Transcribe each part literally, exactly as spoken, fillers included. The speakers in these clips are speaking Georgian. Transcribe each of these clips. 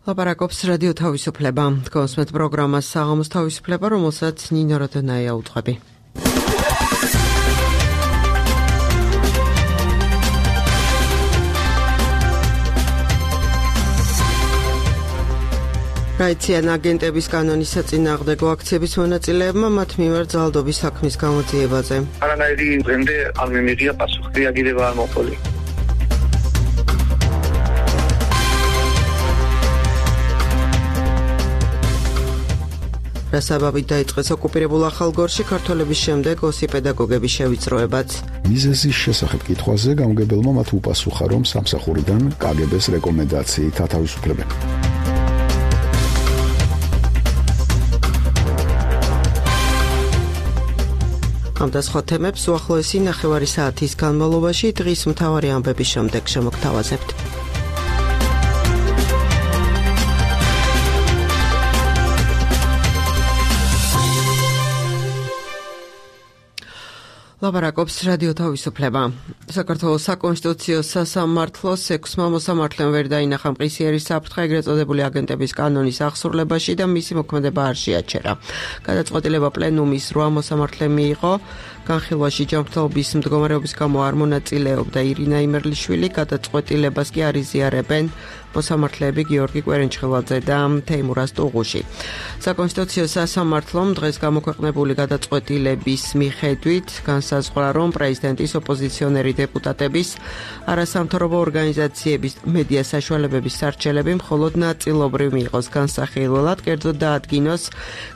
ლაპარაკობს რადიო თავისუფლება. კონსმეთ პროგრამას საღამოს თავისუფლება, რომელსაც ნინო როდონაია უძღვები. რაიციან აგენტების კანონის საწინააღმდეგო აქციების მონაწილეებმა მათ მიმართ ძალადობის საქმის გამოძიებაზე. არანაირი დღემდე არ მიმიღია პასუხი, რეაგირება არ მოყოლი. რასაბაბით დაიწყეს ოკუპირებულ ახალგორში ქართველების შემდეგ ოსი პედაგოგების შევიწროებაც. მიზეზის შესახებ კითხვაზე გამგებელმა მათ უპასუხა, რომ სამსახურიდან კაგებეს რეკომენდაციით ათავისუფლებენ. ამ და სხვა თემებს უახლოესი ნახევარი საათის განმავლობაში დღის მთავარი ამბების შემდეგ შემოგთავაზებთ. ლაპარაკობს რადიო თავისუფლება. საქართველოს საკონსტიტუციო სასამართლოს ექვსმა მოსამართლემ ვერ დაინახა მყისიერი საფრთხე ეგრეთ წოდებული აგენტების კანონის აღსრულებაში და მისი მოქმედება არ შეაჩერა. გადაწყვეტილება პლენუმის რვა მოსამართლემ მიიღო. განხილვაში ჯანმრთელობის მდგომარეობის გამო არ მონაწილეობდა ირინა იმერლიშვილი, გადაწყვეტილებას კი არ იზიარებენ მოსამართლეები გიორგი კვერენჩხილაძე და თეიმურაზ ტუღუში. საკონსტიტუციო სასამართლომ დღეს გამოქვეყნებული გადაწყვეტილების მიხედვით განსაზღვრა, რომ პრეზიდენტის ოპოზიციონერი დეპუტატების, არასამთავრობო ორგანიზაციების, მედია საშუალებების სარჩელები მხოლოდ ნაწილობრივ მიიღოს განსახილველად, კერძოდ დაადგინოს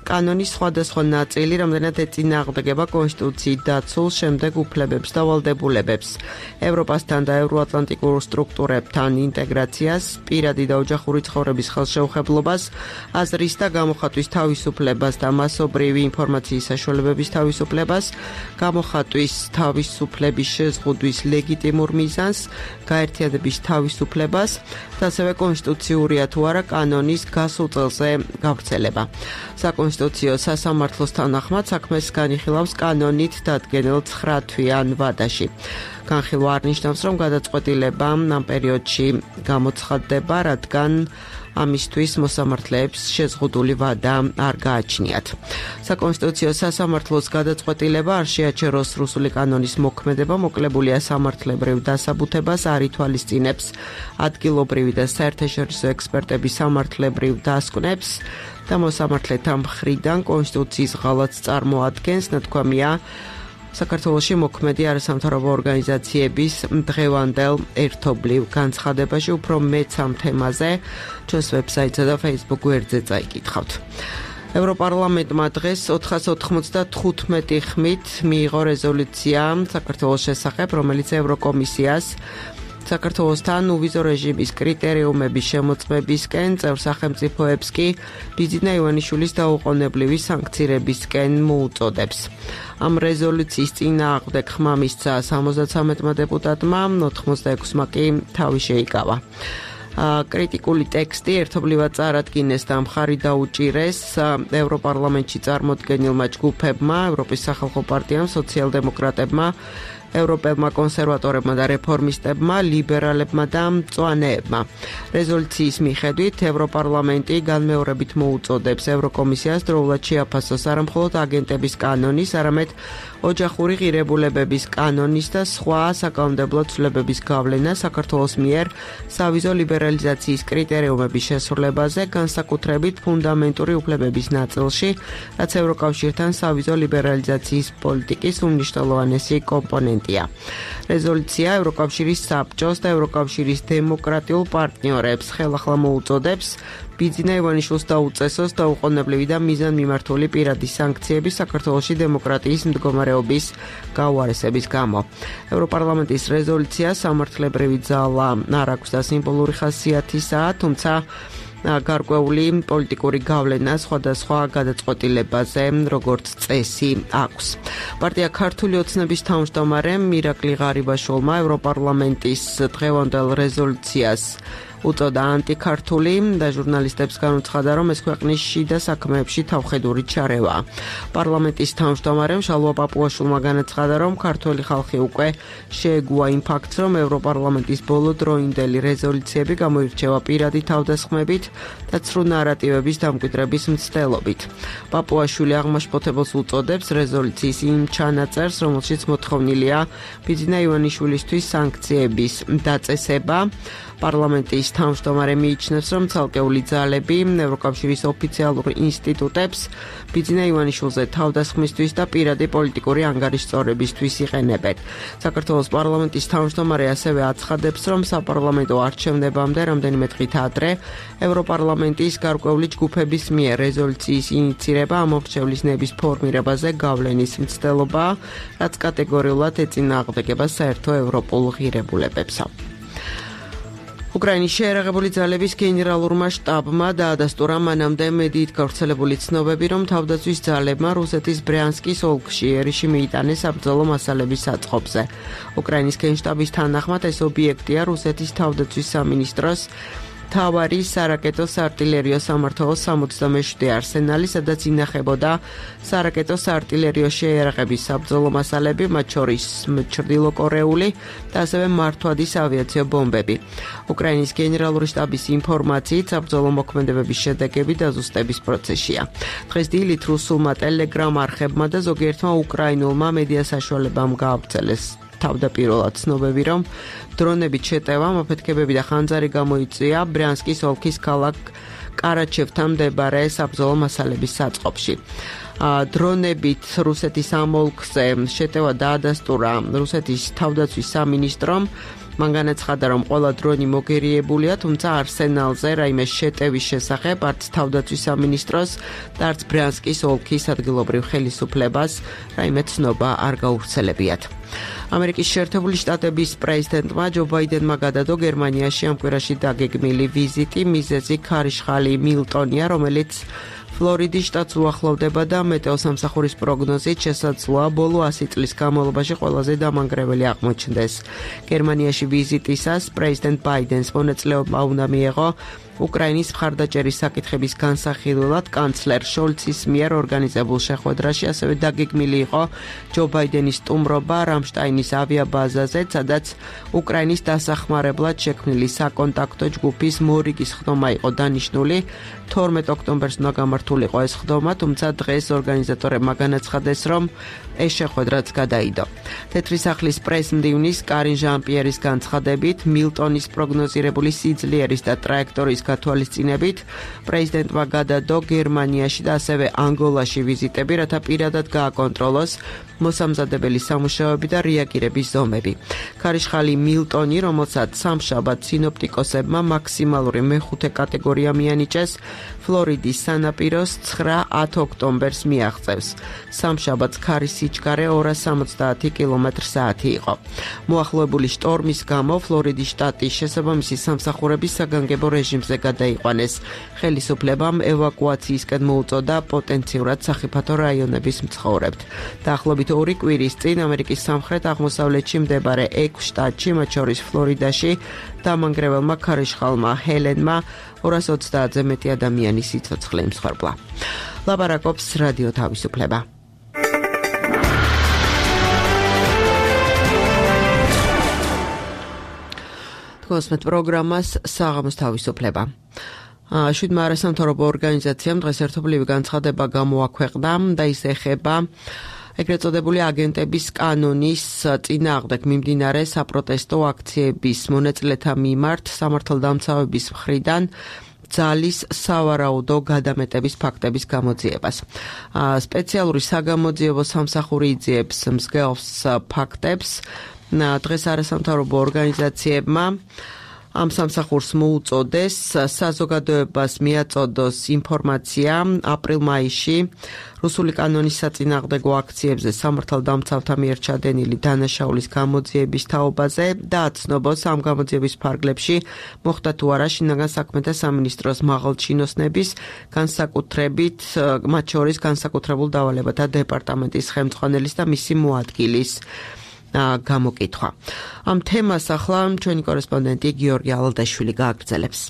კანონის სხვადასხვა ნაწილი, რამდენად ეწინააღმდეგება კონსტიტუციის დაცულ შემდეგ უფლებებს და ვალდებულებებს, ევროპასთან და ევროატლანტიკურ სტრუქტურებთან ინტეგრაციას, პირადი და ოჯახური ცხოვრების ხელშეუხებლობას, აზრის და გამოხატვის თავისუფლებას და მასობრივი ინფორმაციის საშუალებების თავისუფლებას, გამოხატვის თავისუფლების შეზღუდვის ლეგიტიმურ მიზანს, გაერთიანების თავისუფლებას და ასევე კონსტიტუციურია თუ არა კანონის გასულ წელზე გავრცელება. საკონსტიტუციო სასამართლოს თანახმად საქმეს განიხილავს კანონით დადგენილ ცხრა თვიან ვადაში. განხილვა არ ნიშნავს, რომ გადაწყვეტილება ამ პერიოდში გამოცხადდება, რადგან ამისთვის მოსამართლეებს შეზღუდული ვადა არ გააჩნიათ. საკონსტიტუციო სასამართლოს გადაწყვეტილება არ შეაჩეროს რუსული კანონის მოქმედება, მოკლებულია სამართლებრივ დასაბუთებას, არ ითვალისწინებს ადგილობრივი და საერთაშორისო ექსპერტების სამართლებრივ დასკვნებს და მოსამართლეთა მხრიდან კონსტიტუციის ღალატს წარმოადგენს, ნათქვამია საქართველოში მოქმედი არასამთავრობო ორგანიზაციების დღევანდელ ერთობლივ განცხადებაში. უფრო მეც ამ თემაზე ჩვენს ვებსაიტსა და Facebook გვერდზე წაიკითხავთ. ევროპარლამენტმა დღეს ოთხას ოთხმოცდათხუთმეტი ხმით მიიღო რეზოლუცია საქართველოს შესახებ, რომელიც ევროკომისიას საქართველოსთან უვიზო რეჟიმის კრიტერიუმების შემოწმებისკენ, წევრ სახელმწიფოებს კი ბიძინა ივანიშვილის დაუყოვნებლივი სანქცირებისკენ მოუწოდებს. ამ რეზოლუციის წინააღმდეგ ხმა მისცა სამოცდათრამეტმა დეპუტატმა, ოთხმოცდაექვსმა კი თავი შეიკავა. კრიტიკული ტექსტი ერთობლივად წარადგინეს და მხარი დაუჭირეს ევროპარლამენტში წარმოდგენილმა ჯგუფებმა, ევროპის სახალხო პარტიამ, სოციალ-დემოკრატებმა, ევროპელმა კონსერვატორებმა და რეფორმისტებმა, ლიბერალებმა და მწვანეებმა. რეზოლუციის მიხედვით ევროპარლამენტი განმეორებით მოუწოდებს ევროკომისიას დროულად შეაფასოს არამხოლოდ აგენტების კანონის, არამედ ოჯახური ღირებულებების კანონის და სხვა საკანონმდებლო ცვლილებების გავლენა საქართველოს მიერ სავიზო ლიბერალიზაციის კრიტერიუმების შესრულებაზე, განსაკუთრებით ფუნდამენტური უფლებების ნაწილში, რაც ევროკავშირთან სავიზო ლიბერალიზაციის პოლიტიკის უმნიშვნელოვანესი კომპონენტია. რეზოლუცია ევროკავშირის საბჭოს და ევროკავშირის დემოკრატიულ პარტნიორებს ხელახლა მოუწოდებს ბიძინა ივანიშვილს დაუწესოს დაუყოვნებლივი და მიზანმიმართული პირადი სანქციები საქართველოში დემოკრატიის მდგომარეობის გაუარესების გამო. ევროპარლამენტის რეზოლუცია სამართლებრივი ძალა არ აქვს და სიმბოლური ხასიათისაა, თუმცა გარკვეული პოლიტიკური გავლენა სხვადასხვა გადაწყვეტილებაზე, როგორც წესი აქვს. პარტია ქართული ოცნების თავმჯდომარემ მირაკლი ღარიბაშვილმა ევროპარლამენტის დღევანდელ რეზოლუციას უწოდა ანტიქართული და ჟურნალისტებს განუცხადა, რომ ეს ქვეყნის შიდა საქმეებში თავხედური ჩარევაა. პარლამენტის თავმჯდომარემ შალვა პაპუაშვილმა განაცხადა, რომ ქართველი ხალხი უკვე შეეგუა იმ ფაქტს, რომ ევროპარლამენტის ბოლოდროინდელი რეზოლუციები გამოირჩევა პირადი თავდასხმებით და ცრუ ნარატივების დამკვიდრების მცდელობით. პაპუაშვილი აღმაშფოთებელს უწოდებს რეზოლუციის იმ ჩანაწერს, რომელშიც მოთხოვნილია ბიძინა ივანიშვილისთვის სანქციების დაწესება. პარლამენტის თავმჯდომარე მიიჩნევს, რომ ცალკეული ძალები ევროკავშირის ოფიციალურ ინსტიტუტებს ბიძინა ივანიშვილზე თავდასხმისთვის და პირადი პოლიტიკური ანგარიშწორებისთვის იყენებენ. საქართველოს პარლამენტის თავმჯდომარე ასევე აცხადებს, რომ საპარლამენტო არჩევნებამდე რამდენიმე დღით ადრე ევროპარლამენტის გარკვეული ჯგუფების მიერ რეზოლუციის ინიცირება ამ მორჩევლის ფორმირებაზე გავლენის მცდელობაა, რაც კატეგორიულად ეწინააღმდეგება საერთო ევროპულ ღირებულებებსა. უკრაინის შეერაღებული ძალების გენერალურმა შტაბმა დაადასტურა მანამდე მედიით გავრცელებული ცნობები, რომ თავდაცვის ძალებმა რუსეთის ბრიანსკის ოლქში ერიში მიიტანეს საბრძოლო მასალების საწყობზე. უკრაინის გენშტაბის თანახმად ეს ობიექტია რუსეთის თავდაცვის სამინისტროს მთავარი სარაკეტო საარტილერიო სამმართველო სამოცდამეშვიდე არსენალი, სადაც ინახებოდა სარაკეტო საარტილერიო შეიარაღების საბრძოლო მასალები, მათ შორის ჩრდილოკორეული და ასევე მართვადის ავიაციო ბომბები. უკრაინის გენერალური შტაბის ინფორმაციით, საბრძოლო მოქმედებების შედეგები დაზუსტების პროცესია. დღეს დილით რუსულმა ტელეგრამ არხებმა და ზოგიერთმა უკრაინულმა მედია საშუალებამ გაავრცელეს თავდაპირველად ცნობები, რომ დრონებით შეტევამ აფეთქებები და ხანძარი გამოიწვია ბრიანსკის ოლქის ქალაქ კარაჩევთან მდებარე საბრძოლო მასალების საწყობში. დრონებით რუსეთის ამ ოლქზე შეტევა დაადასტურა რუსეთის თავდაცვის სამინისტრომ. მან განაცხადა, რომ ყველა დრონი მოგერიებულია, თუმცა არსენალზე რაიმე შეტევის შესახებ არც თავდაცვის სამინისტროს და არც ბრიანსკის ოლქის ადგილობრივ ხელისუფლებას რაიმე ცნობა არ გაავრცელებიათ. ამერიკის შეერთებული შტატების პრეზიდენტმა ჯო ბაიდენმა გადადო გერმანიაში ამ კვირაში დაგეგმილი ვიზიტი. მიზეზი ქარიშხალი მილტონია, რომელიც ფლორიდის შტატს უახლოვდება და მეტეოსამსახურის პროგნოზით შესაძლოა ბოლო ასი წლის განმავლობაში ყველაზე დამანგრეველი აღმოჩნდეს. გერმანიაში ვიზიტისას პრეზიდენტ ბაიდენს მონაწილეობა უნდა მიეღო უკრაინის მხარდაჭერის საკითხების განსახილველად კანცლერ შოლცის მიერ ორგანიზებულ შეხვედრაში, ასევე დაგეგმილი იყო ჯო ბაიდენის სტუმრობა რამშტაინის ავიაბაზაზე, სადაც უკრაინის დასახმარებლად შექმნილი საკონტაქტო ჯგუფის მორიგის ხდომა იყო დანიშნული. თორმეტ ოქტომბერს უნდა გამართულიყო ეს ხდომა, თუმცა დღეს ორგანიზატორებმა განაცხადეს, რომ ეს შეხვედრაც გადაიდო. თეთრი სახლის პრეს-მდივნის კარინ ჟან-პიერის განცხადებით, მილტონის პროგნოზირებული სიძლიერის და ტრაექტორიის გათვალისწინებით, პრეზიდენტმა გადადო გერმანიაში და ასევე ანგოლაში ვიზიტები, რათა პირადად გააკონტროლოს მოსამზადებელი სამუშაოები და რეაგირების ზომები. ქარიშხალი მილტონი, რომელსაც სამშაბათ სინოპტიკოსებმა მაქსიმალური მეხუთე კატეგორია მიანიჭეს, ფლორიდის სანაპიროს ცხრა ათ ოქტომბერს მიაღწევს. სამშაბათს ქარის სიჩქარე ორას სამოცდაათი კილომეტრ საათი იყო. მოახლოებული შტორმის გამო ფლორიდის შტატის შესაბამისი სამსახურების საგანგებო რეჟიმზე გადაიყვანეს. ხელისუფლებამ ევაკუაციისკენ მოუწოდა პოტენციურად სახიფათო რაიონების მცხოვრებთ. დაახლოებით ორი კვირის წინ ამერიკის სამხრეთ აღმოსავლეთში მდებარე ექვს შტატში, მათ შორის ფლორიდაში, დამანგრეველმა ქარიშხალმა ჰელენმა ორას ოცდაათზე მეტი ადამიანი სიცოცხლე იმსხვერპლა. ლაპარაკობს რადიო თავისუფლება. გოსმეთ პროგრამას საღამოს თავისუფლება. შვიდმა არასამთავრობო ორგანიზაციამ დღეს ერთობლივი განცხადება გამოაქვეყნა და ის ეხება ეგრეთ წოდებული აგენტების კანონის წინააღმდეგ მიმდინარე საპროტესტო აქციების მონაწილეთა მიმართ სამართალდამცავების მხრიდან ძალის სავარაუდო გადამეტების ფაქტების გამოძიებას. სპეციალური საგამოძიებო სამსახური იძიებს მსგავს ფაქტებს. დღეს არასამთავრობო ორგანიზაციებმა ამ სამსახურს მოუწოდეს საზოგადოებას მიაწოდოს ინფორმაცია აპრილ-მაისში რუსული კანონის საწინააღმდეგო აქციებზე სამართალდამცავთა მიერ ჩადენილი დანაშაულის გამოძიების თაობაზე და აცნობს ამ გამოძიების ფარგლებში მოხდა თუ არა შინაგან საქმეთა სამინისტროს მაღალჩინოსნების განსაკუთრებით მათ შორის განსაკუთრებულ დავალებათა დეპარტამენტის ხელმძღვანელის და მისი მოადგილის გამოკითხვა. ამ თემას ახლა ჩვენი კორესპონდენტი გიორგი ალადაშვილი გააგრძელებს.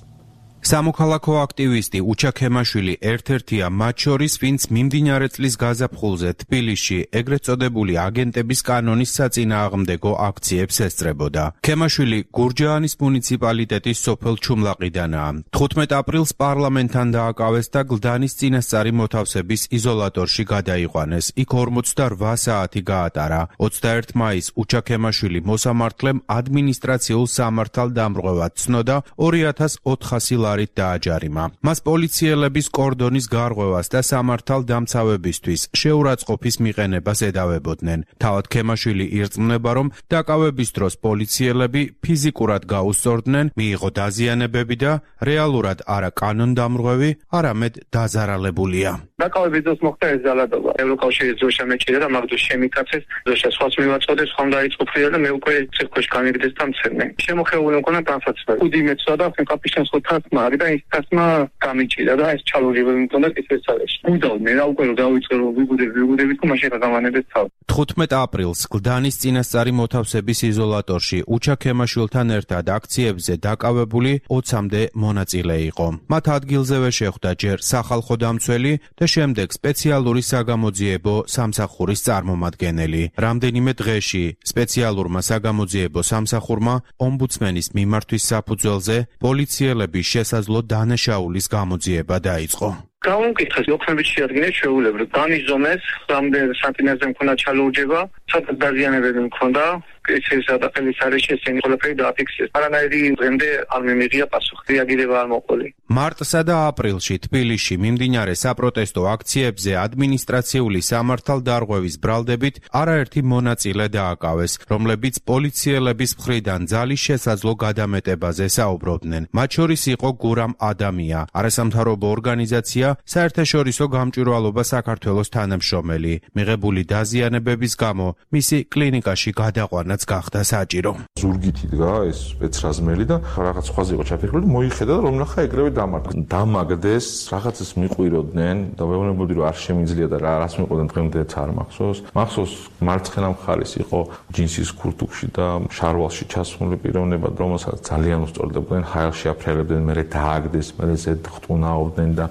სამოქალაქო აქტივისტი უჩა ქემაშვილი ერთ-ერთია მათ შორის, ვინც მიმდინარე წლის გაზაფხულზე თბილისში ეგრეთ წოდებული აგენტების კანონის საწინააღმდეგო აქციებს ესწრებოდა. ქემაშვილი გურჯაანის მუნიციპალიტეტის სოფელ ჩუმლაყიდანაა. თხუთმეტ აპრილს პარლამენტთან დააკავეს და გლდანის წინასწარი მოთავსების იზოლატორში გადაიყვანეს. იქ ორმოცდაორ საათი გაატარა. ოცდაერთი მაისს უჩა ქემაშვილი მოსამართლემ ადმინისტრაციულ სამართალდამრღვევად ცნოდა ორი ათას ოთხასი ლარი დააჯარიმა. მას პოლიციელების კორდონის გარღვევას და სამართალდამცავებისთვის შეურაცხყოფის მიყენებას ედავებოდნენ. თავად ქემაშვილი ირწმუნება, რომ დაკავების დროს პოლიციელები ფიზიკურად გაუსწორდნენ, მიიღო დაზიანებები და რეალურად არა კანონდამრღვევი, არამედ დაზარალებულია. დაკავების დროს მოხდა ეს ძალადობა. ევროკავშირის დროშა მეჭირა და მაგ დროს შემიკაცეს, დროშა სხვას მივაწოდეს, ხომ დაიწყო ფრია და მე უკვე ციხეში გამიგდეს და მცემნე. შემოხეული მქონა განსაცდელი. უდი მეცვა და კაპიშანს ხოთასმა არის და ის თასმა გამიჭირა და ეს ჩალურები მქონდა კისერცალეში. უდავ მე რა უკვე რომ დავიწყე რომ ვიგუდები ვიგუდები თუ მაშინ გადავანებდეს თავ. თხუთმეტ აპრილს გლდანის წინასწარი მოთავსების იზოლატორში უჩა ქემაშვილთან ერთად აქციებზე დაკავებული ოცამდე მონაწილე იყო. მათ ადგილზევე შეხვდა ჯერ სახალხო დამცველი და შემდეგ სპეციალური საგამოძიებო სამსახურის წარმომადგენელი. რამდენიმე დღეში სპეციალურმა საგამოძიებო სამსახურმა ომბუდსმენის მიმართვის საფუძველზე პოლიციელების შესაძლო დანაშაულის გამოძიება დაიწყო. გამოვკითხეს დოქუმენტში შეადგინეს შეუულებრივ დანის ზომეს, რამდენ სანტიმეტრზე მქონდა ჩალურჯება, სადაც დაზიანებები მქონდა, ეს ადაპტაციის არის შესენი ყველაფერი დააფიქსეს. არანაირი დღემდე არ მიმიღია პასუხი, რეაგირება არ მოყოლი. მარტსა და აპრილში თბილისში მიმდინარე საპროტესტო აქციებზე ადმინისტრაციული სამართალდარღვევის ბრალდებით არაერთი მონაწილე დააკავეს, რომლებიც პოლიციელების მხრიდან ძალის შესაძლო გადამეტებაზე საუბრობდნენ. მათ შორის იყო გურამ ადამია, არასამთავრობო ორგანიზაცია საერთაშორისო გამჭვირვალობა საქართველოს თანამშრომელი. მიღებული დაზიანებების გამო მისი კლინიკაში გადაყვანაც გახდა საჭირო. ზურგითი დგა ეს სპეცრაზმელი და რაღაც სხვაზე იყო ჩაფიქრებული, მოიხედა და რომ ნახა ეგრევე დამარცხდა. დამაგდეს, რაღაცას მიყვიროდნენ და ვეუბნებოდი რომ არ შემიძლია და რას მიყვიროდნენ დღემდეც არ მახსოვს. მახსოვს მარცხენა მხარეს იყო ჯინსის ქურთუკში და შარვალში ჩასმული პიროვნება, რომელსაც ძალიან უსწორდებოდნენ, ჰაერში აფრელებდნენ, მერე დააგდეს, მერე ზედ ხტუნაობდნენ და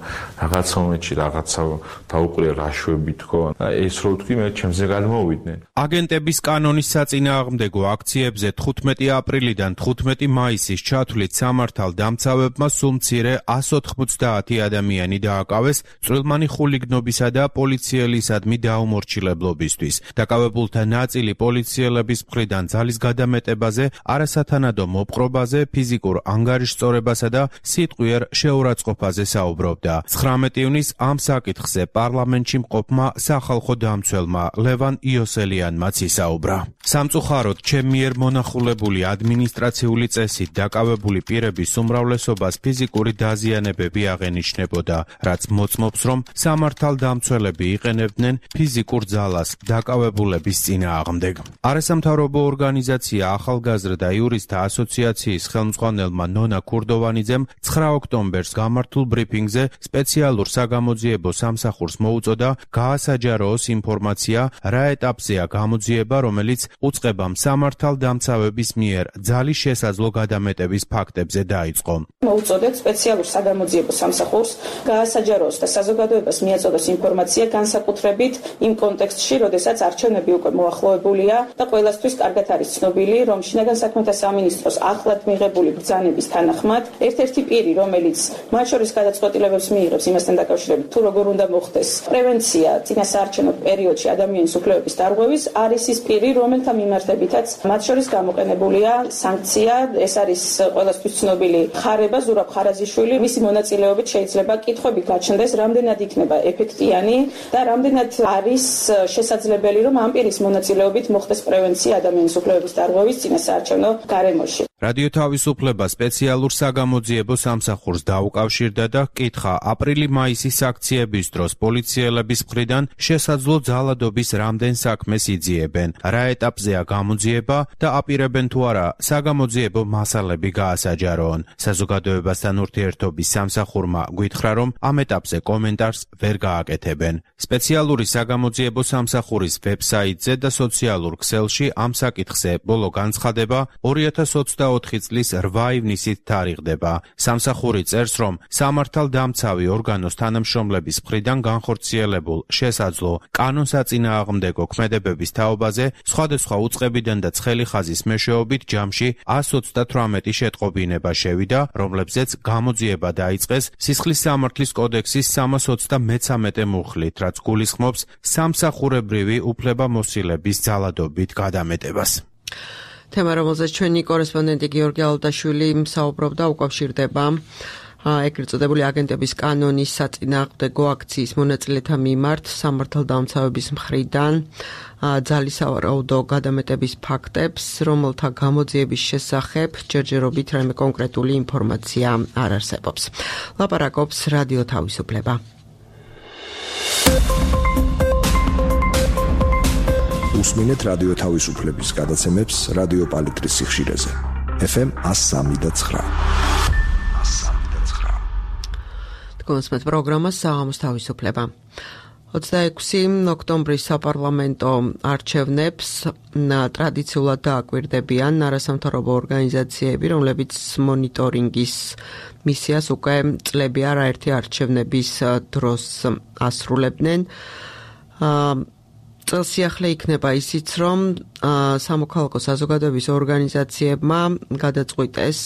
რაღაც მომენტში რაღაცა დაუყურე რაშვები თქო. ეს რო თქვი მე ჩემზე გადმოვიდნენ. აგენტების კანონის საწინააღმდეგო აქციებზე თხუთმეტი აპრილიდან თხუთმეტი მაისის ჩათვლით სამართალდამცავებმა სულ მცირე ასი ოცდაათი ადამიანი დააკავეს წვრილმანი ხულიგნობისა და პოლიციელისადმი დაუმორჩილებლობისთვის. დაკავებულთა ნაწილი პოლიციელების მხრიდან ძალის გადამეტებაზე, არასათანადო მოპყრობაზე, ფიზიკურ ანგარიშწორებასა და სიტყვიერ შეურაცხყოფაზე საუბრობდა. ცხრამეტი ივნის ამ საკითხზე პარლამენტში მყოფმა სახალხო დამცველმა ლევან იოსელიანმაც ისაუბრა. სამწუხაროდ, ჩემ მიერ მონახულებული ადმინისტრაციული წესით დაკავებული პირების უმრავლესობას ფიზიკური დაზიანებები აღენიშნებოდა, რაც მოწმობს, რომ სამართალდამცველები იყენებდნენ ფიზიკურ ძალას დაკავებულების წინააღმდეგ. არასამთავრობო ორგანიზაცია ახალგაზრდა იურისტთა ასოციაციის ხელმძღვანელმა ნონა ქურდოვანიძემ ცხრა ოქტომბერს გამართულ ბრიფინგზე სპეციალურ საგამოძიებო სამსახურს მოუწოდა გაასაჯაროოს ინფორმაცია, რა ეტაპზეა გამოძიება, რომელიც უწყება სამართალდამცავების მიერ ძალის შესაძლო გადამეტების ფაქტებზე დაიწყო. მოუწოდეთ სპეციალურ საგამოძიებო სამსახურს გაასაჯაროოს და საზოგადოებას მიაწოდოს ინფორმაცია განსაკუთრებით იმ კონტექსტში, როდესაც არჩევნები უკვე მოახლოებულია და ყველასთვის კარგად არის ცნობილი, რომ შინაგან საქმეთა სამინისტროს ახლად მიღებული ბრძანების თანახმად ერთ-ერთი პირი, რომელიც მათ შორის გადაწყვეტილებებს მიიღებს იმასთან დაკავშირებით, თუ როგორ უნდა მოხდეს პრევენცია წინასაარჩევნო პერიოდში ადამიანის უფლებების დარღვევის, არის ის პირი, რომელთა მიმართებითაც მათ შორის გამოყენებულია სანქცია. ეს არის ყველასთვის ცნობილი ხარება ზურაბ ხარაზიშვილი. მისი მონაწილეობით შეიძლება კითხვები გაჩნდეს, რამდენად იქნება ეფექტიანი და რამდენად არის შესაძლებელი, რომ ამ პირის მონაწილეობით მოხდეს პრევენცია ადამიანის უფლებების დარღვევის წინასაარჩევნო გარემოში. რადიო თავისუფლება სპეციალურ საგამოძიებო სამსახურს დაუკავშირდა და ჰკითხა აპრილი-მაისის აქციების დროს პოლიციელების მხრიდან შესაძლო ძალადობის რამდენ საქმეს იძიებენ, რა ეტაპზეა გამოძიება და აპირებენ თუ არა საგამოძიებო მასალები გაასაჯაროონ. საზოგადოებასთან ურთიერთობის სამსახურმა გვითხრა, რომ ამ ეტაპზე კომენტარს ვერ გააკეთებენ. სპეციალური საგამოძიებო სამსახურის ვებსაიტზე და სოციალურ ქსელში ამ საკითხზე ბოლო განცხადება ორი ათას ოცდაოთხი წლის რვა ივნისით თარიღდება. სამსახური წერს, რომ სამართალდამცავი ორგანოს თანამშრომლების მხრიდან განხორციელებულ შესაძლო კანონსაწინააღმდეგო ქმედებების თაობაზე სხვადასხვა უწყებიდან და ცხელი ხაზის მეშვეობით ჯამში ას ოცდათვრამეტი შეტყობინება შევიდა, რომლებზეც გამოძიება დაიწყეს სისხლის სამართლის კოდექსის სამას ოცდამეცამეტე მუხლით, რაც გულისხმობს სამსახურებრივი უფლებამოსილების ძალადობით გადამეტებას. თემა, რომელზეც ჩვენი კორესპონდენტი გიორგი ალუდაშვილი საუბრობდა, უკავშირდება ეგრეთ წოდებული აგენტების კანონის საწინააღმდეგო აქციის მონაწილეთა მიმართ სამართალდამცავების მხრიდან ძალისავარაუდო გადამეტების ფაქტებს, რომელთა გამოძიების შესახებ ჯერჯერობით რაიმე კონკრეტული ინფორმაცია არ არსებობს. ლაპარაკობს რადიო თავისუფლება. უსმინეთ რადიო თავისუფლების გადაცემებს რადიო პალიტრის სიხშირეზე. ეფ ემ ას სამი და ცხრა. გონსმეთ პროგრამა საღამოს თავისუფლება. ოცდაექვსი ოქტომბრის საპარლამენტო არჩევნებს ტრადიციულად დააკვირდებიან არასამთავრობო ორგანიზაციები, რომლებიც მონიტორინგის მისიას უკვე წლები არაერთი არჩევნების დროს ასრულებდნენ. წელსიახლე იქნება ისიც, რომ სამოქალაქო საზოგადოების ორგანიზაციებმა გადაწყვიტეს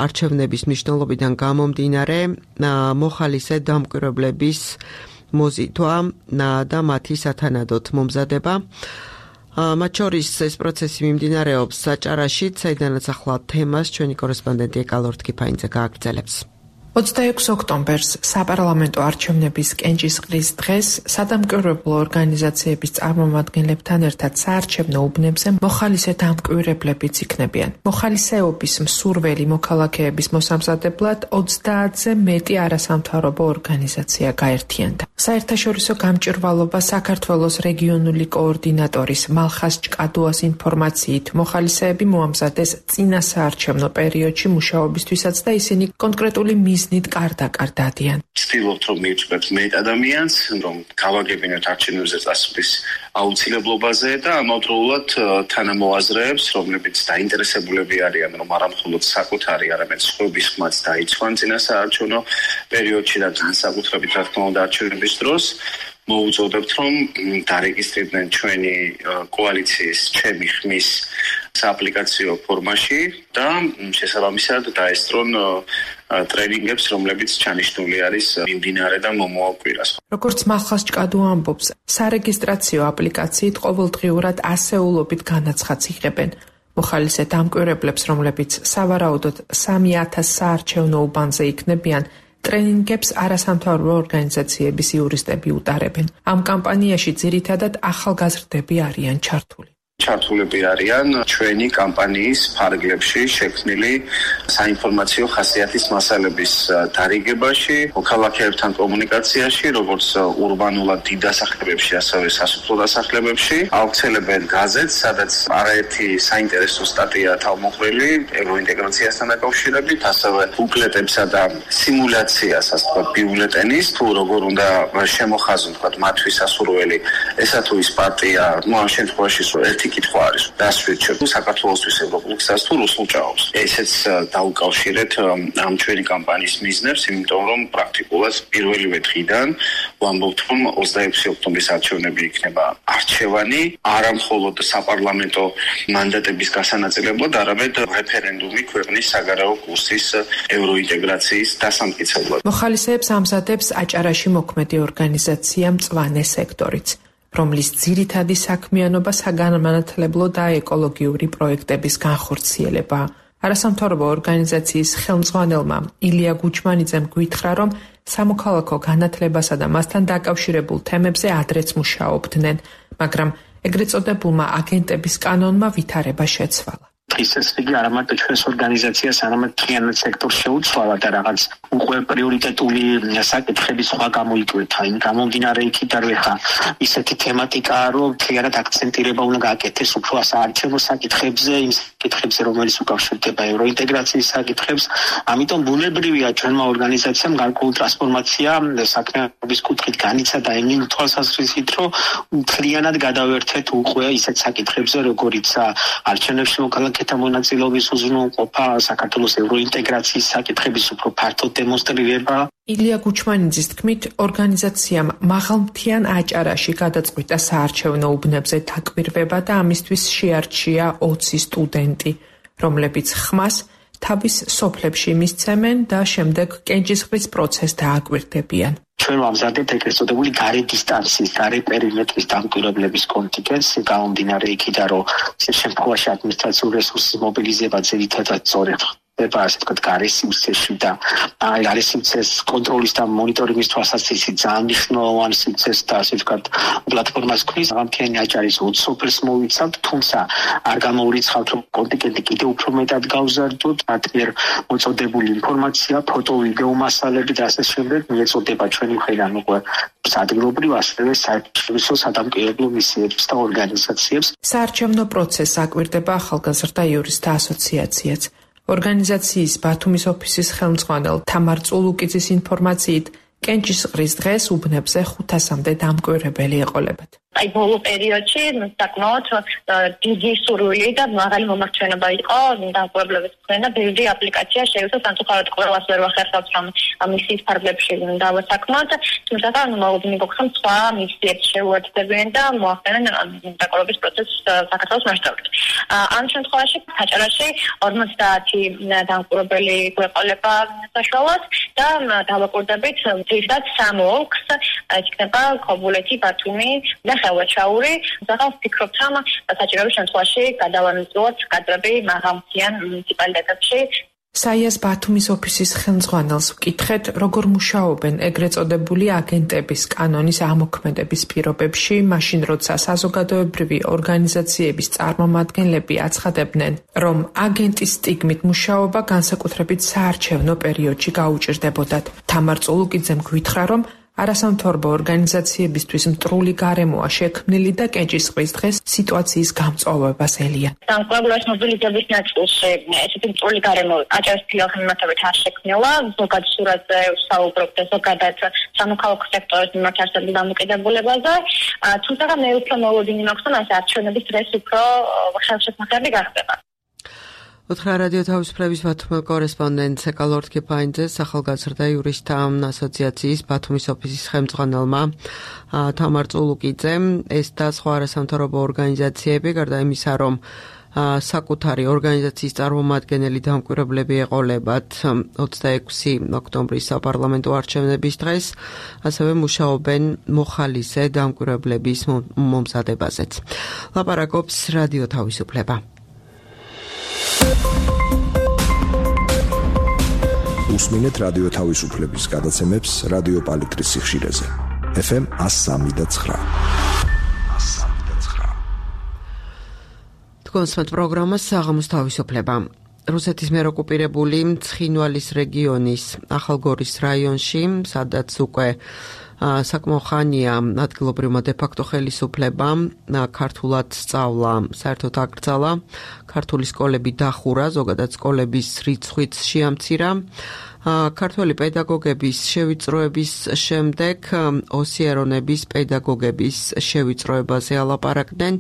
არჩევნების მნიშვნელობიდან გამომდინარე მოხალისე დამკვირვებლების მოზიდვა და მათი სათანადოდ მომზადება. მათ შორის ეს პროცესი მიმდინარეობს საჭარაშიც, საიდანაც ახლა თემას ჩვენი კორესპონდენტი ეკალორ თქიფაინძე გააგრძელებს. ოცდაექვსი ოქტომბერს საპარლამენტო არჩევნების კენჭისყრის დღეს სადამკვირვებლო ორგანიზაციების წარმომადგენლებთან ერთად საარჩევნო უბნებზე მოხალისე დამკვირვებლებიც იქნებიან. მოხალისეობის მსურველი მოქალაქეების მოსამზადებლად ოცდაათზე მეტი არასამთავრობო ორგანიზაცია გაერთიანდა. საერთაშორისო გამჭირვალობა საქართველოს რეგიონული კოორდინატორის მალხაზ ჭკადუას ინფორმაციით, მოხალისეები მოამზადეს წინა საარჩევნო პერიოდში მუშაობისთვისაც და ისინი კონკრეტული მიზნით კარდაკარ დადიან. ვცდილობთ, რომ მივწვევთ მეტ ადამიანს, რომ გავაგებინოთ არჩევნებზე წასვლის აუცილებლობაზე და ამავდროულად თანამოაზრეებს, რომლებიც დაინტერესებულები არიან, რომ არა მხოლოდ საკუთარი, არამედ სხვების ხმაც დაიცვან წინა საარჩევნო პერიოდში და განსაკუთრებით რა თქმა უნდა არჩევნების დროს, მოუწოდებთ, რომ დარეგისტრირდნენ ჩვენი კოალიციის ჩემი ხმის სააპლიკაციო ფორმაში და შესაბამისად დაესწრონ ტრენინგებს, რომლებიც ჩანიშნული არის მიმდინარე და მომავალ კვირას. როგორც მალხაზ ჭკადუ ამბობს, სარეგისტრაციო აპლიკაციით ყოველდღიურად ასეულობით განაცხადს იღებენ. მოხალისე დამკვირვებლებს, რომლებიც სავარაუდოდ სამი ათას საარჩევნო უბანზე იქნებიან, ტრენინგებს არასამთავრობო ორგანიზაციების იურისტები უტარებენ. ამ კამპანიაში ძირითადად ახალგაზრდები არიან ჩართული. ჩართულები არიან ჩვენი კამპანიის ფარგლებში შექმნილი საინფორმაციო ხასიათის მასალების დარიგებაში, მოქალაქეებთან კომუნიკაციაში, როგორც ურბანულად დიდ დასახლებებში, ასევე სასოფლო დასახლებებში. ავრცელებენ გაზეთს, სადაც არაერთი საინტერესო სტატია თავმოყრილი ევროინტეგრაციასთან დაკავშირებით, ასევე ბუკლეტებსა და სიმულაციას, ასე ვთქვათ, ბიულეტენის, თუ როგორ უნდა შემოხაზონ, ვთქვათ, მათთვის ასურველი, ესა თუ ის პარტია, ну ამ შემთხვევაში ერთი კითხვა არის, დასვით საქართველოსთვის ევროპულ გზას თუ რუსულ ჭაობს. ესეც დაუკავშირეთ ამ ჩვენი კამპანიის მიზნებს, იმიტომ რომ პრაქტიკულად პირველივე დღიდან ვამბობთ, რომ ოცდაექვსი ოქტომბრის არჩევნები იქნება არჩევანი, არა მხოლოდ საპარლამენტო მანდატების გასანაწილებლად, არამედ რეფერენდუმი ქვეყნის საგარეო კურსის ევროინტეგრაციის დასამტკიცებლად. მოხალისეებს ამზადებს აჭარაში მოქმედი ორგანიზაცია მწვანე სექტორიც, რომლის ძირითადი საქმიანობა საგანმანათლებლო და ეკოლოგიური პროექტების განხორციელება. არასამთავრობო ორგანიზაციის ხელმძღვანელმა ილია გუჩმანიძემ გვითხრა, რომ სამოქალაქო განათლებასა და მასთან დაკავშირებულ თემებზე ადრეც მუშაობდნენ, მაგრამ ეგრეთ წოდებულმა აგენტების კანონმა ვითარება შეცვალა. ის ეს იგი არამარტო ჩვენს ორგანიზაციას, არამედ მთლიანად სექტორს შეუცვალა და რაღაც უკვე პრიორიტეტული საკითხები სხვა გამოიკვეთა. იმ გამომდინარე იქით არ ვეხა ისეთი თემატიკაა, რომ მთლიანად აქცენტირება უნდა გააკეთეს უფრო საარჩევნო საკითხებზე, იმ საკითხებზე, რომელიც უკავშირდება ევროინტეგრაციის საკითხებს. ამიტომ ბუნებრივია ჩვენმა ორგანიზაციამ გარკვეული ტრანსფორმაცია საქმეების კუთხით განიცადა იმ თვალსაზრისით, რომ მთლიანად გადავერთეთ უკვე ისეთ საკითხებზე, როგორიც არჩევნებში მოქალაქეთა მონაწილეობის უზრუნველყოფა, საქართველოს ევროინტეგრაციის საკითხების უფრო ფართო დემონსტრირება. ილია გუჩმანიძის თქმით, ორგანიზაციამ მაღალმთიან აჭარაში გადაწყვიტა საარჩევნო უბნებზე დაკვირვება და ამისთვის შეარჩია ოცი სტუდენტი, რომლებიც ხმას თავის სოფლებში მისცემენ და შემდეგ კენჭისყრის პროცესს დააკვირდებიან. ჩვენ ვამზადებთ ეგრეთ წოდებული გარე დისტანციის, გარე პერიმეტრის დამკვირვებლების კონტინგენტს, გამომდინარე იქიდან, რომ ამ შემთხვევაში ადმინისტრაციული რესურსის მობილიზება ძირითადად სწორედ ხდება, ასე ვთქვათ, გარე სივრცეში და გარე სივრცეს კონტროლის და მონიტორინგის თვალსაზრისით ძალიან მნიშვნელოვანი სივრცეს და ასე ვთქვათ, პლატფორმას ქმნის. მაღალმთიანი აჭარის ოცი სოფელს მოვიცავთ, თუმცა არ გამოურიცხავთ, რომ კონტინგენტი კიდევ უფრო მეტად გავზარდოთ, მათ მიერ მოწოდებული ინფორმაცია, ფოტო, ვიდეო მასალები და ასე შემდეგ მიეწოდება ჩვენი მხრიდან უკვე ადგილობრივ, ასევე საერთაშორისო სადამკვირვებლო მისიებს და ორგანიზაციებს. საარჩევნო პროცესს აკვირდება ახალგაზრდა იურისტთა ასოციაციაც. ორგანიზაციის ბათუმის ოფისის ხელმძღვანელ თამარ წულუკიძის ინფორმაციით, კენჭისყრის დღეს უბნებზე ხუთასამდე დამკვირვებელი ეყოლებათ. აი ბოლო პერიოდში საკმაოდ დიდი სურვილი და მაღალი მომაჩვენობა იყო დამკვირვებლების მხრიდან და ბევრი აპლიკაცია შეივსო სამწუხაროდ ყველას ვერ ვახერხავთ რომ მისიის ფარგლებში დავასაქმოთ, თუმცა მოლოდინი გქონდა სხვა მისიებს შეუერთდებიან და მოახდინონ დამკვირვების პროცესს საქართველოს მასშტაბით. ამ შემთხვევაში აჭარაში ორმოცდაათი დამკვირვებელი გვეყოლება საშუალოდ და დავაკვირდებით ძირითადად სამ ოლქს, იქნება ქობულეთი, ბათუმი და ხელვაჩაური. ზაღავს ფიქრობთ, რომ საჭიროების შემთხვევაში გადავანაწილოთ კადრები მაღალმთიან მუნიციპალიტეტებში. საიას ბათუმის ოფისის ხელმძღვანელს ვკითხეთ, როგორ მუშაობენ ეგრეთ წოდებული აგენტების კანონის ამოქმედების პირობებში, მაშინ როცა საზოგადოებრივი ორგანიზაციების წარმომადგენლები აცხადებდნენ, რომ აგენტის სტიგმით მუშაობა განსაკუთრებით საარჩევნო პერიოდში გაუჭირდებოდათ. თამარ წულუკიძემ გვითხრა, რომ არასამთავრობო ორგანიზაციებისთვის მტრული გარემოა შექმნილი და კენჭისყრის დღეს სიტუაციის გამწვავებას ელიან. დამკვირვებლობის მობილიზების ნაწილში ესეთი მტრული გარემო აჭარის ფილმათებით არ შექმნილა, ზოგადად სურათზე ვსაუბრობ და ზოგადად სამოქალაქო სექტორის მიმართ არსებულ დამოკიდებულებაზე, თუმცა მე უფრო მოლოდინი მაქვს, რომ ეს არჩევნების დღეს უფრო ხელშეწმახები გახდება. უთხრა რადიო თავისუფლების ბათუმის კორესპონდენტ სეკალორდ კიფაინძეს ახალგაზრდა იურისტთა ასოციაციის ბათუმის ოფისის ხელმძღვანელმა თამარ წულუკიძემ ეს და სხვა არასამთავრობო ორგანიზაციები გარდა იმისა, რომ საკუთარი ორგანიზაციის წარმომადგენელი დამკვირვებლები ეყოლებათ ოცდაექვსი ოქტომბრის საპარლამენტო არჩევნების დღეს, ასევე მუშაობენ მოხალისე დამკვირვებლების მომზადებაზეც. ლაპარაკობს რადიო თავისუფლება. უსმინეთ რადიო თავისუფლების გადაცემებს რადიო პალიტრის სიხშირეზე. ეფ ემ one oh three და nine. თქვენსმეთ პროგრამას საღამოს თავისუფლება. რუსეთის მიერ ოკუპირებული ცხინვალის რეგიონის ახალგორის რაიონში, სადაც უკვე საკმაო ხანია ადგილობრივმა დე-ფაქტო ხელისუფლებამ ქართულად სწავლა საერთოდ აკრძალა, ქართული სკოლები დახურა, ზოგადად სკოლების რიცხვიც შეამცირა. ქართველი პედაგოგების შევიწროების შემდეგ ოსიერონების პედაგოგების შევიწროებაზე ალაპარაკდნენ.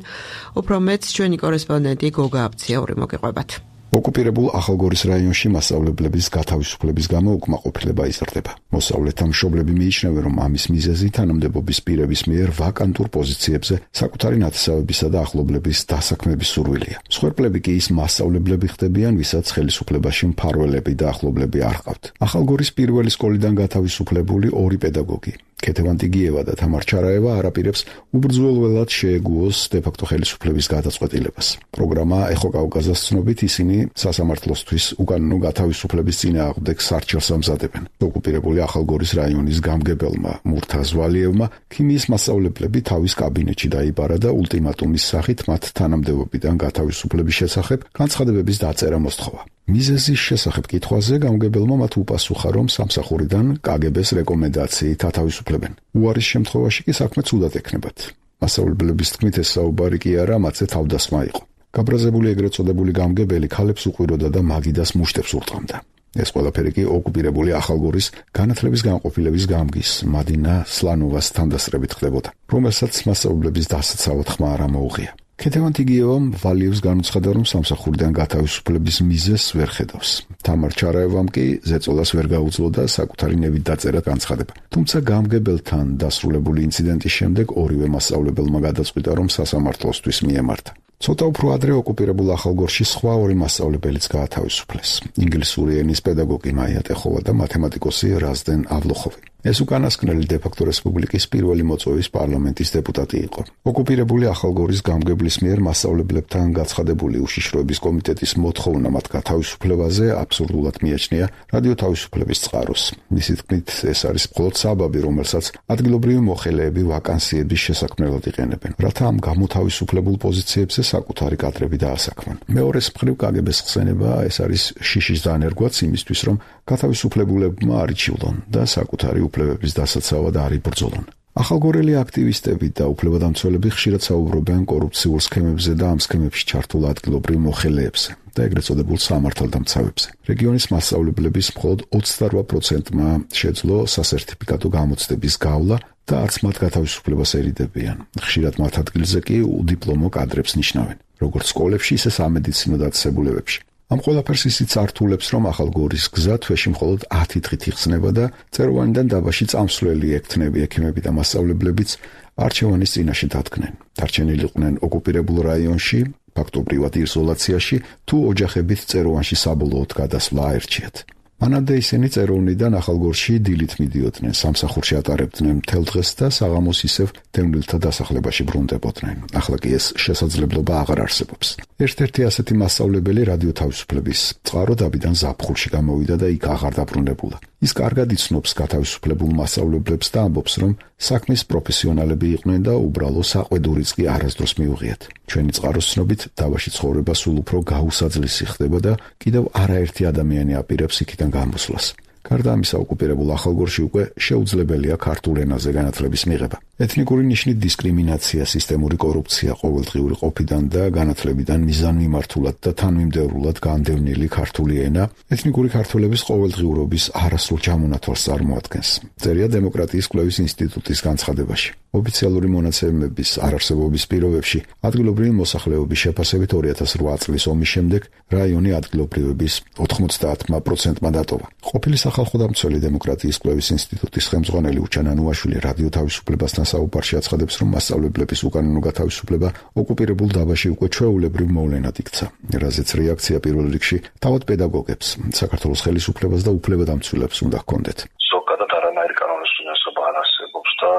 უფრო მეც ჩვენი კორესპონდენტი გოგა აბციაური მოგეყვებათ. ოკუპირებულ ახალგორის რაიონში მასწავლებლების გათავისუფლების გამო უკმაყოფილება იზრდება. მოსწავლეთა მშობლები მიიჩნევენ, რომ ამის მიზეზი თანამდებობის პირების მიერ ვაკანტურ პოზიციებზე საკუთარი ნათესავებისა და ახლობლების დასაქმების სურვილია. მსხვერპლები კი ის მასწავლებლები ხდებიან, ვისაც ხელისუფლებაში მფარველები და ახლობლები არ ჰყავთ. ახალგორის პირველი სკოლიდან გათავისუფლებული ორი პედაგოგი, ქეთევან ტიგიევა და თამარ ჩარაევა არაპირებს უბრძოლველად შეეგუოს დე-ფაქტო ხელისუფლების გადაწყვეტილებას. პროგრამა ეხო კავკასიას ცნობით ისინი სასამართლოსთვის უკანონო გათავისუფლების წინააღმდეგ სარჩელს ამზადებენ. ოკუპირებული ახალგორის რაიონის გამგებელმა მურთაზ ვალიევმა ქიმიის მასწავლებლები თავის კაბინეტში დაიბარა და ულტიმატუმის სახით მათ თანამდებობიდან გათავისუფლების შესახებ განცხადებების დაწერა მოსთხოვა. მიზეზის შესახებ კითხვაზე გამგებელმა მათ უპასუხა, რომ სამსახურიდან კაგებეს რეკომენდაციით ათავისუფლებენ. უარის შემთხვევაში კი საქმე ცუდად ექნებათ. მასწავლებლების თქმით, ეს საუბარი კი არა, მათზე თავდასხმა იყო. გაბრაზებული ეგრეთ წოდებული გამგებელი ქალებს უყვიროდა და მაგიდას მუშტებს ურტყამდა. ეს ყველაფერი კი ოკუპირებული ახალგორის განათლების განყოფილების გამგის მადინა სლანოვას თანდასწრებით ხდებოდა, რომელსაც მასწავლებლების დასაცავად ხმა არ ამოუღია. ქეთევან ტიგიევამ ვალიევს განუცხადა, რომ სამსახურიდან გათავისუფლების მიზეზს ვერ ხედავს. თამარ ჩარაევამ კი ზეწოლას ვერ გაუძლო და საკუთარი ნებით დაწერა განცხადება. თუმცა გამგებელთან დასრულებული ინციდენტის შემდეგ ორივე მასწავლებელმა გადაწყვიტა, რომ სასამართლოსთვის მიემართა. ცოტა უფრო ადრე ოკუპირებულ ახალგორში სხვა ორი მასწავლებელიც გაათავისუფლეს. ინგლისური ენის პედაგოგი მაია ტეხოვა და მათემატიკოსი რაზდენ ავლოხოვი. ეს უკანასკნელი დე-ფაქტო რესპუბლიკის პირველი მოწვევის პარლამენტის დეპუტატი იყო. ოკუპირებული ახალგორის გამგებლის მიერ მასწავლებლებთან გაცხადებული უშიშროების კომიტეტის მოთხოვნა მათ გათავისუფლებაზე აბსურდულად მიაჩნია რადიო თავისუფლების წყაროს. მისი თქმით, ეს არის მხოლოდ საბაბი, რომელსაც ადგილობრივი მოხელეები ვაკანსიების შესაქმნელად იყენებენ, რათა ამ გამოთავისუფლებულ პოზიციებზე საკუთარი კადრები დაასაქმონ. მეორეს მხრივ კაგებეს ხსენება ეს არის შიშის დანერგვაც იმისთვის, რომ გათავისუფლებულებმა არიჩივლონ და საკუთარი უფლებების დასაცავად არ იბრძოლონ. ახალგორელი აქტივისტები და უფლებადამცველები ხშირად საუბრობენ კორუფციულ სქემებზე და ამ სქემებში ჩართულ ადგილობრივ მოხელეებზე და ეგრეთ წოდებულ სამართალდამცავებზე. რეგიონის მასწავლებლების მხოლოდ ოცდარვა პროცენტმა შეძლო სასერტიფიკატო გამოცდების გავლა და არც მათ გათავისუფლებას ერიდებიან. ხშირად მათ ადგილზე კი უდიპლომო კადრებს ნიშნავენ, როგორც სკოლებში, ისე სამედიცინო დაწესებულებებში. ამ ყველაფერს ისიც ართულებს, რომ ახალგორის გზა თვეში მხოლოდ ათი დღით იხსნება და წეროვანიდან დაბაში წამსვლელი ექთნები ექიმები და მასწავლებლებიც არჩევანის წინაშე დადგნენ. დარჩენილიყვნენ ოკუპირებულ რაიონში, ფაქტობრივად იზოლაციაში, თუ ოჯახებით წეროვანში საბოლოოდ გადასვლა აერჩიათ. მანამდე ისინი წეროვნიდან ახალგორში დილით მიდიოდნენ, სამსახურში ატარებდნენ მთელ დღეს და საღამოს ისევ დევნილთა დასახლებაში ბრუნდებოდნენ. ახლა კი ეს შესაძლებლობა აღარ არსებობს. ერთ-ერთი ასეთი მასწავლებელი რადიო თავისუფლების წყარო დაბიდან ზაფხულში გამოვიდა და იქ აღარ დაბრუნებულა. ის კარგად იცნობს გათავისუფლებულ მასწავლებლებს და ამბობს, რომ საქმის პროფესიონალები იყვნენ და უბრალო საყვედურიც კი არასდროს მიუღიათ. ჩვენი წყაროს ცნობით, დაბაში ცხოვრება სულ უფრო გაუსაძლისი ხდება და კიდევ არაერთი ადამიანი აპირებს იქიდან გამოსვლას. გარდა ამისა, ოკუპირებულ ახალგორში უკვე შეუძლებელია ქართულ ენაზე განათლების მიღება. ეთნიკური ნიშნით დისკრიმინაცია, სისტემური კორუფცია, ყოველდღიური ყოფიდან და განათლებიდან მიზანმიმართულად და თანმიმდევრულად განდევნილი ქართული ენა ეთნიკური ქართველების ყოველდღიურობის არასრულ ჯამუნათვალს წარმოადგენს. წერია დემოკრატიის კვლევის ინსტიტუტის განცხადებაში. ოფიციალური მონაცემების არარსებობის პირობებში ადგილობრივი მოსახლეობის შეფასებით ორი ათას რვა წლის ომის შემდეგ რაიონი ადგილობრივების ოთხმოცდაათმა პროცენტმა დატოვა. ყოფილი სახალხო-დამცველი დემოკრატიის კვლევის ინსტიტუტის ხელმძღვანელი უჩანა ნუაშვილი რადიო თავისუფლებასთან საუბარში აცხადებს, რომ მასწავლებლების უკანონო გათავისუფლება ოკუპირებულ დაბაში უკვე ჩვეულებრივ მოვლენად იქცა, რაზეც რეაქცია პირველ რიგში თავად პედაგოგებს, საქართველოს ხელისუფლებას და უფლებადამცველებს უნდა ჰქონდეთ. ზოგადად არანაირი კანონის უნესობა არ არსებობს და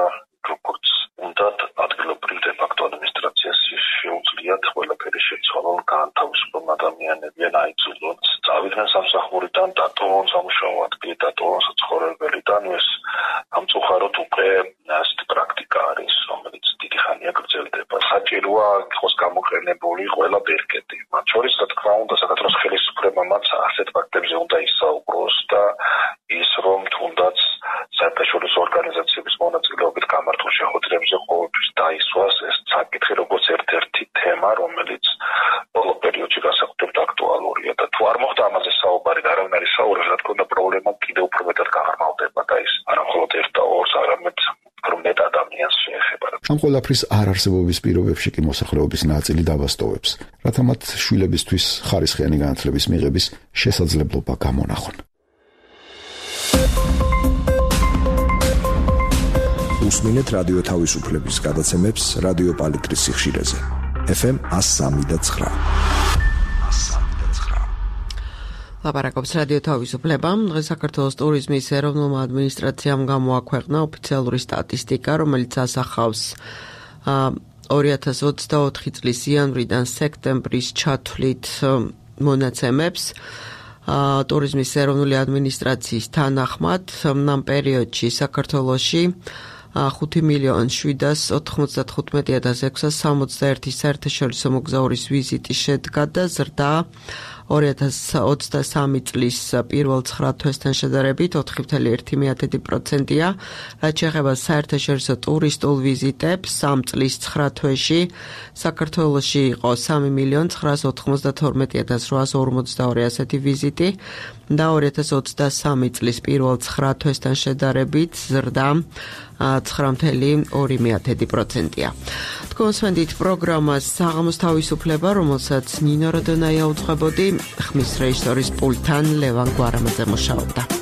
როგორც უნდათ ადგილობრივ დე-ფაქტო ადმინისტრაციას შეუძლიათ ყველაფერი შეცვალონ, გაანთავისუფლონ ადამიანები, აიძულონ წავიდნენ სამსახურიდან, დატოვონ სამუშაო ადგილი, დატოვონ საცხოვრებელიდან. ეს ამწუხაროდ უკვე ასეთი პრაქტიკა არის, რომელიც დიდი ხანია გრძელდება. საჭიროა იყოს გამოყენებული ყველა ბერკეტი. მათ შორის, რა თქმა უნდა, საქართველოს ხელისუფლებამაც ასეთ ფაქტებზე უნდა ისაუბროს და ის რომ თუნდაც საერთაშორისო ორგანიზაციების მონაწილეობით გამართულ შეხვედრებზე ყოველთვის დაისვას ეს საკითხი როგორც ერთ-ერთი თემა, რომელიც ბოლო პერიოდში განსაკუთრებით აქტუალურია და თუ არ მოხდა ამაზე საუბარი და არავინ არ ისაუბრებს, რა თქმა უნდა, პრობლემა კიდევ უფრო მეტად გაღრმავდება და ის არა მხოლოდ ერთ და ორს, არამედ უფრო მეტ ადამიანს შეეხება. ამ ყველაფრის არარსებობის პირობებში კი მოსახლეობის ნაწილი დავასტოვებს, რათა მათ შვილებისთვის ხარისხიანი განათლების მიღების შესაძლებლობა გამონახონ. უსმინეთ რადიო თავისუფლების გადაცემებს რადიო პალიტრის სიხშირეზე. ეფ ემ one oh three point nine. ლაპარაკობს რადიო თავისუფლება. დღეს საქართველოს ტურიზმის ეროვნულმა ადმინისტრაციამ გამოაქვეყნა ოფიციალური სტატისტიკა, რომელიც ასახავს ორი ათას ოცდაოთხი წლის იანვრიდან სექტემბრის ჩათვლით მონაცემებს. ტურიზმის ეროვნული ადმინისტრაციის თანახმად ამ პერიოდში საქართველოში ხუთი მილიონი შვიდას ოთხმოცდათხუთმეტი ათას ექვსას სამოცდაერთი საერთაშორისო მოგზაურის ვიზიტი შედგა და ზრდა ორი ათას ოცდასამი წლის პირველ ცხრა თვესთან შედარებით ოთხი ფاصლე ერთი პროცენტია, რაც შეეხება საერთაშორისო ტურისტულ ვიზიტებს, ამ წლის ცხრა თვეში საქართველოში იყო სამი მილიონი ცხრაას ოთხმოცდათორმეტი ათას რვაას ორმოცდაორი ასეთი ვიზიტი და ორი ათას ოცდასამი წლის პირველ ცხრა თვესთან შედარებით ზრდა ცხრა ფاصლე ორი პროცენტია. თქვენ სვენდით პროგრამას საღამოს თავისუფლება, რომელსაც ნინო როდონაია უძღვებოდი, ხმის რეჟისორის პულტთან ლევან გვარამაძე მუშაობდა.